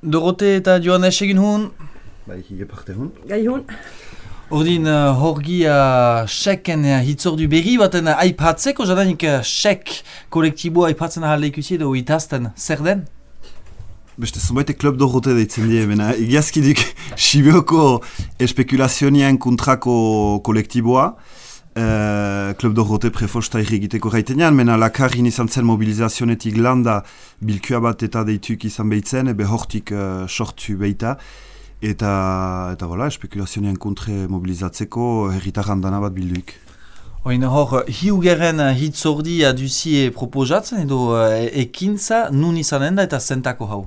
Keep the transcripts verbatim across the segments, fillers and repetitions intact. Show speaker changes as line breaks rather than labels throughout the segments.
Dorote eta Johannes egin hun.
Bai, hige parte hun.
Gai hun.
Ordin uh, horgi uh, seken uh, hitzordu berri baten uh, aipatzeko, jadanik uh, sek kolektiboa aipatzen ahal ikusi edo itazten, zer den?
Beste zonbaite Club Dorote deitzen die, bena egiazkidik Sibioko espekulazionian kontrako kolektiboa. Uh, Club Dorote prefosta irrigiteko gaitenean, mena lakarin izan zen mobilizazionetik landa bilkua bat eta deituk izan behitzen, ebe hortik uh, sortu behita. Eta, eta voilà, espekulazionian kontre mobilizatzeko herritarran dana bat bilduik.
Oin hor, hiugeren hitzordi duzie proposatzen edo uh, ekintza nun izanen da eta zentako hau?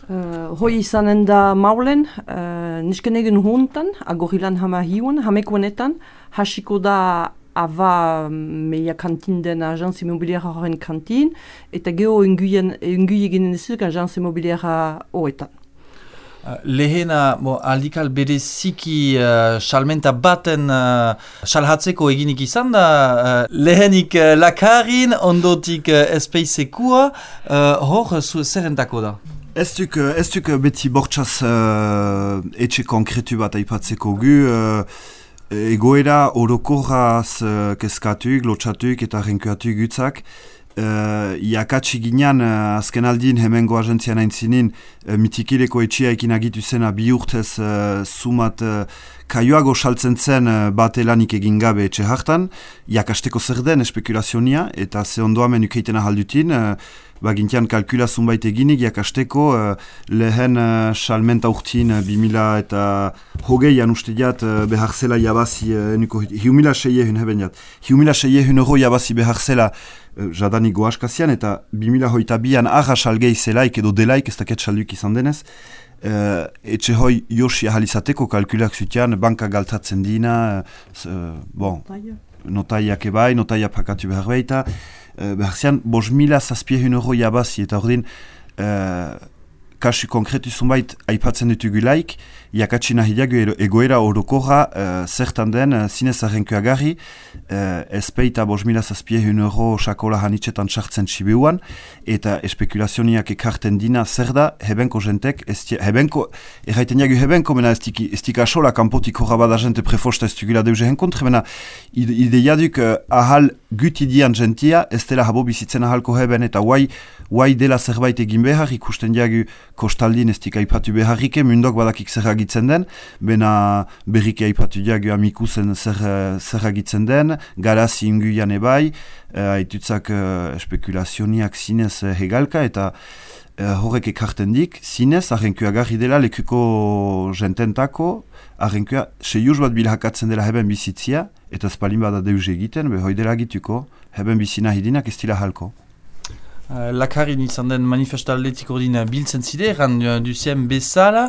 Uh, hoi izanen da maulen, uh, nisken egin huntan, agorilan hama hiun, hamekoenetan, hasiko da ava meia kantin den agence immobiliera horren kantin, eta geho enguien eginen ezuk agence immobiliera hoetan.
Uh, lehena, bo, aldikal bereziki uh, salmenta baten uh, salhatzeko eginik izan da, uh, lehenik uh, lakarin, ondotik uh, espeisekua, uh, hor zu zerrentako da?
Ez duk, ez duk beti bortxaz uh, etxe konkretu bat aipatzeko gu, uh, egoera orokorraz uh, keskatuk, lotxatuk eta renkuatuk gutzak. Uh, Iakatsi ginean, uh, azken aldin hemengo agentzian aintzinin, uh, mitikileko etxea ekin agitu zena bi urtez uh, sumat uh, kaioago saltzen zen uh, bat elanik egin gabe etxe hartan, iakasteko zer den espekulazionia, eta ze ondoamen ukeiten ahaldutin, uh, bagintian kalkula zunbait eginik, iakasteko uh, lehen uh, salmenta urtin uh, bimila eta hogeian uste diat uh, behar zela jabazi, uh, enuko hiumila seiehun heben diat, hiumila seiehun euro jabazi behar zela jadanik goaskazian, eta bimila hoita bian arra salgei zelaik edo delaik ez daket salduk izan denez. Uh, etxe hoi josi ahalizateko kalkulak zutian, banka galtatzen dina, uh, bon, notaiak ebai, notaiak pakatu behar behita, uh, behar zian, bos mila zazpiehun euro jabazi, eta ordin, uh, kasu konkretu zunbait aipatzen dutugu laik, iakatsi nahi diago egoera orokorra uh, zertan den uh, zinez arrenkuagarri, uh, ezpeita bos mila zazpiehun euro sakola hanitzetan sartzen txibeuan, eta espekulazioniak ekarten dina zer da, hebenko jentek, estia, hebenko, erraiten diago hebenko, mena ez dik asola kanpotik horra bada jente prefosta ez dugula deuze henkontre, mena ideia duk uh, ahal gutidian jentia, ez dela habo bizitzen ahalko heben, eta guai, guai dela zerbait egin behar, ikusten diago kostaldin ez dik aipatu beharrike, mundok badakik zer agitzen den, bena berrike aipatu diago amikusen zer, zer agitzen den, garazi inguian ebai, uh, aitutzak uh, espekulazioniak zinez uh, hegalka, eta uh, horrek ekarten dik, zinez arrenkua garri dela lekuko jententako, arrenkua seiuz bat bilhakatzen dela heben bizitzia, eta espalin bada deus egiten, be hoi dela agituko, heben bizina hidinak ez dila halko.
Uh, lakarin izan den manifestaldetik ordin biltzen zide, eran uh, duzien bezala,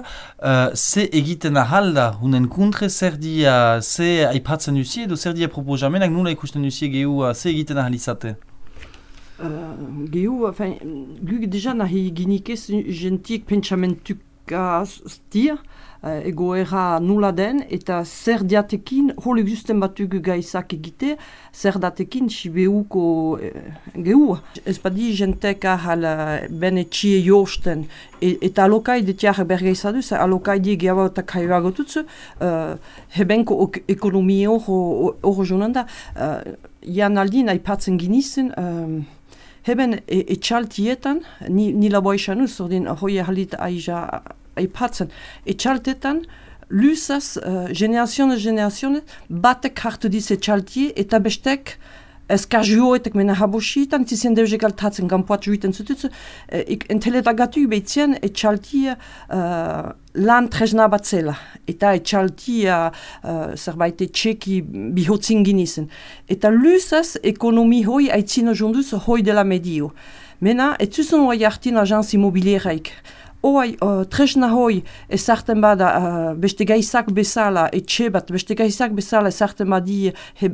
uh, ze egiten ahalda, hunen kontre zer dia, ze aipatzen duzie, edo zer dia proposamenak, nula ikusten duzie gehu, uh, ze egiten ahal izate?
Uh, gehu, enfin, guk deja nahi ginikez gentik pentsamentuk aztia, uh, egoera nula den, eta zer diatekin, hol existen batuk gaizak egite, zer datekin Sibeuko uh, gehu. Ez badi jentek ahal uh, ben etxie josten, e, eta alokai detiak bergeizadu, zer alokai die gehiago eta kaioago tutzu, uh, hebenko ok ekonomia hor jonan da. Uh, Jan aldin aipatzen ginizen, um, heben e, etxaltietan, ni, nila boixanuz, ordin hoi halit aija aipatzen, etxaltetan, luzaz, uh, generazionez, generazionez, batek hartu diz etxaltie, eta bestek, eskazioetek mena habositan, tizien deuzek altatzen, gampoat juiten zututzu, uh, enteletagatu behitzen etxaltie uh, lan tresna bat zela, eta etxaltia uh, zerbait etxeki bihotzin ginizen. Eta luzaz, ekonomi hoi aitzino jonduz hoi dela medio. Mena, etzuzun hoi hartin agence immobilieraik. Hoi, uh, tresna hoi, ezarten bada, uh, beste gaizak bezala, etxe bat, beste gaizak bezala ezarten badi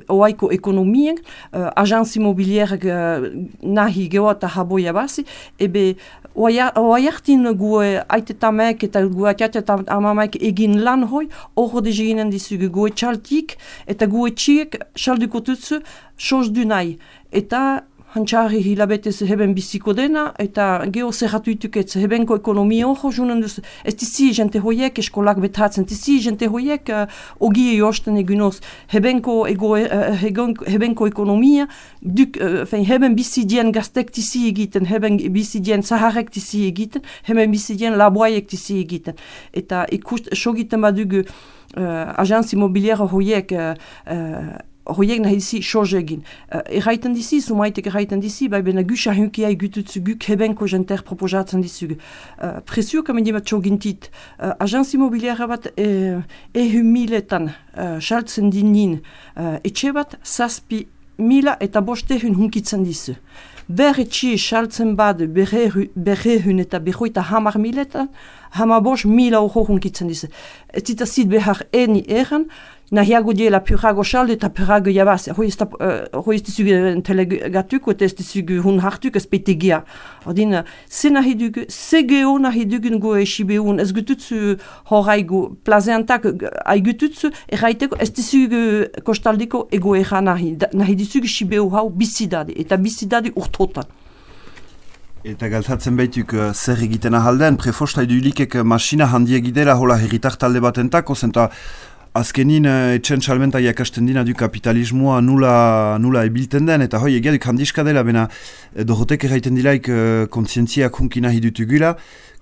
hoaiko ekonomien, uh, agence immobilierak uh, nahi geho eta haboia basi, ebe hoi hartin gu aitetamek eta gu atiatet amamek egin lan hoi, hor dezi ginen dizugu gu etxaltik, eta gu etxiek salduko tutsu, sos du nahi. Eta hantxarri hilabetez heben biziko dena, eta geho zerratuituk ez hebenko ekonomia hor junen duz, ez dizi jente hoiek eskolak betratzen, dizi jente hoiek uh, ogie josten egunoz, hebenko, ego, uh, hebenko ekonomia, duk, uh, fein, heben bizidien gaztek dizi egiten, heben bizidien zaharrek dizi egiten, heben bizidien laboaiek dizi egiten. Eta ikust, sogiten badugu uh, agentz immobiliera hoiek uh, uh, Horiek nahi dizi soz egin. Uh, erraiten dizi, sumaitek erraiten dizi, bai bena gus ahunkia egututzu guk hebenko jenter proposatzen dizugu. Uh, Presio kamedi bat sogintit, uh, agentz immobiliera bat eh, ehun miletan uh, saltzen dinin uh, etxe bat, zazpi mila eta bostehun hunkitzen dizu. Ber etxe saltzen bad berrehun eta berroita hamar miletan, hamar bost mila horo hunkitzen dizu. Ez zita zit behar eni eran, nahiago diela purago salde eta purago jabaz. Hoi ez dizugu entelegatuko eta ez dizugu hun hartuk ez petegia. Ordin, ze nahi dugu, ze geho nahi dugun go esibeun, ez gututzu horaigo plazeantak aigututzu, erraiteko ez dizugu kostaldeko ego erra nahi. Nahi dizugu sibeu hau bizidade, eta bizidade urtotan.
Eta galtatzen baituk uh, zer egiten ahalden, prefosta edulikek masina handiek idela hola herritar talde batentako, zenta azkenin uh, etxen salmenta jakasten dina du kapitalismoa nula, nula ebilten den, eta hoi egia duk handiska dela, bena dorotek erraiten dilaik uh, kontzientziak hunkina hidutugula,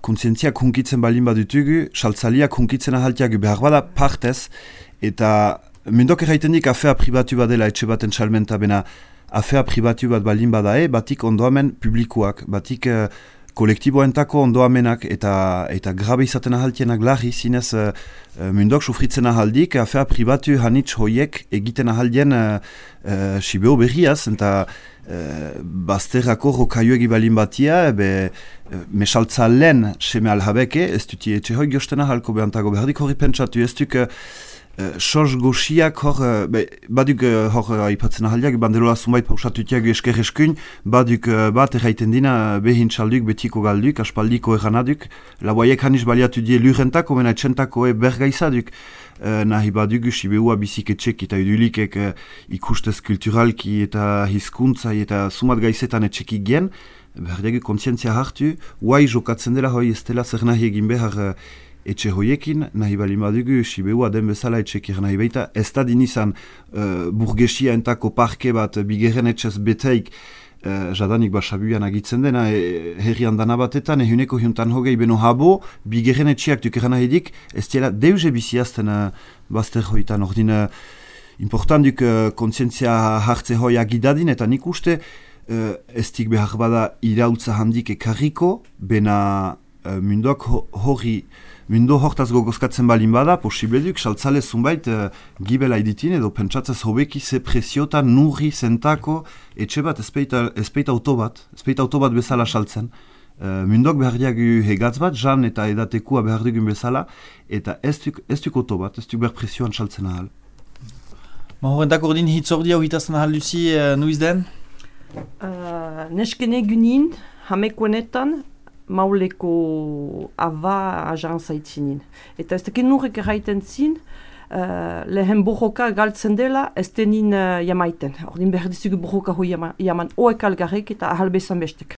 kontzientziak hunkitzen balin badutugu, saltzaliak hunkitzen ahaltiagu behar bada partez, eta mendok erraiten dik afea pribatu badela etxe baten salmenta, bena afea pribatu bat balin badae, batik ondoamen publikoak, batik uh, kolektiboentako ondoamenak eta eta grabe izaten ahaltienak larri, zinez uh, mundok sufritzen ahaldik, afea pribatu hanitz hoiek egiten ahaldien uh, uh, sibeo berriaz, eta uh, bazterrako rokaioegi balin batia, ebe uh, mesaltza lehen seme alhabeke, ez duti etxe hoi giosten ahalko behantago behardik horri pentsatu, ez duk uh, Uh, Soz goxiak hor, uh, be, baduk uh, hor uh, aipatzen ahaldiak, banderola zunbait pausatutiak esker eskun, baduk uh, bat erraiten dina behin txalduk, betiko galduk, aspaldiko erranaduk, laboaiek haniz baliatu die lurentako, mena etxentako e bergaizaduk. Uh, nahi baduk sibeua biziketxek eta idulikek uh, ikustez kulturalki eta hizkuntzai eta sumat gaizetan etxekik gen, berdiagu kontzientzia hartu, guai jokatzen dela hoi ez dela zer nahi egin behar uh, etxe hoiekin, nahi bali madugu, sibeua den bezala etxekir nahi baita, ez da dinizan uh, burgesia entako parke bat bigeren etxez beteik uh, jadanik basabuan agitzen dena, e, herrian dana batetan, ehuneko hiuntan hogei beno habo, bigeren etxeak dukeran nahi dik, ez dela deuze biziazten uh, bazter hoitan, ordin uh, important duk uh, kontzientzia hartze hoi agidadin, eta nik uste uh, ez dik behar bada irautza handik ekarriko, bena uh, mundok ho hori Mundo hortaz gogozkatzen balin bada, posible duk, saltzale zunbait uh, gibela iditin edo pentsatzez hobeki ze presiota nurri zentako etxe bat, ezpeita auto bat, ezpeita auto bat bezala saltzen. Uh, mundok behar diagu hegatz bat, jan eta edatekua behar dugun bezala, eta ez duk, ez duk auto bat, ez duk behar presioan saltzen ahal.
Ma horrentak ordin hitzordia horitazen ahal duzi uh, nuiz den?
Uh, Neskene gunin, hamekoenetan, mauleko ava agentza itzinin. Eta ez tekin nurrek erraiten zin, uh, lehen borroka galtzen dela, ez denin uh, jamaiten. Ordin behar dizugu borroka hoi jaman, jaman oek algarrek eta ahal bezan bestek.